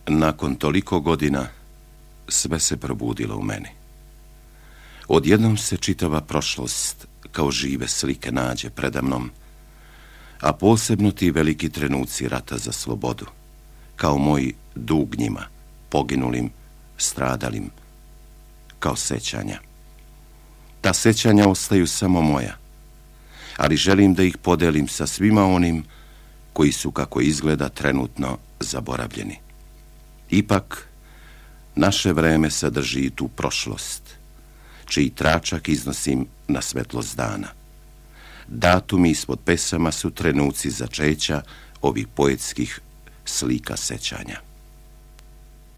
Nakon toliko godina sve se probudilo u meni. Odjednom se čitava prošlost kao žive slike nađe predamnom, a posebno ti veliki trenuci rata za slobodu, kao moj dug njima, poginulim, stradalim, kao sećanja. Ta sećanja ostaju samo moja, ali želim da ih podelim sa svima onim koji su, kako izgleda, trenutno zaboravljeni. Ipak, naše vreme sadrži i tu prošlost, čiji tračak iznosim na svetlost dana. Datumi ispod pesama su trenuci začeća ovih poetskih slika sećanja.